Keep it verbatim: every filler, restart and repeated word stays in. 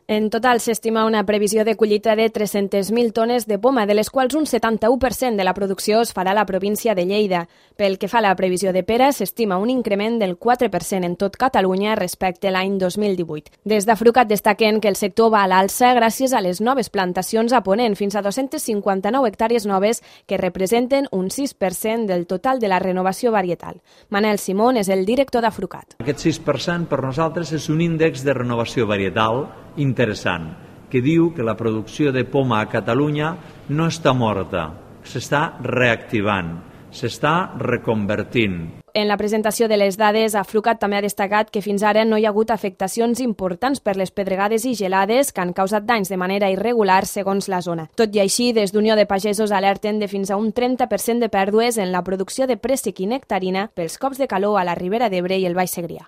En total s'estima una previsió de collita de tres-centes mil tones de poma, de les quals un setanta-u per cent de la producció es farà a la província de Lleida. Pel que fa a la previsió de pera, s'estima un increment del quatre per cent en tot Catalunya respecte a l'any dos mil divuit. Des d'Afrucat destaquen que el sector va a l'alça gràcies a les noves plantacions a Ponent, fins a dos-centes cinquanta-nou hectàrees noves que representen un sis per cent del total de la renovació varietal. Manel Simón és el director d'Afrucat. Aquest sis per cent per nosaltres és un índex de renovació varietal interessant, que diu que la producció de poma a Catalunya no està morta, s'està reactivant, s'està reconvertint. En la presentació de les dades, Afrucat també ha destacat que fins ara no hi ha hagut afectacions importants per les pedregades i gelades que han causat danys de manera irregular segons la zona. Tot i així, des d'Unió de Pagesos alerten de fins a un trenta per cent de pèrdues en la producció de préssec i nectarina pels cops de calor a la Ribera d'Ebre i el Baix Segrià.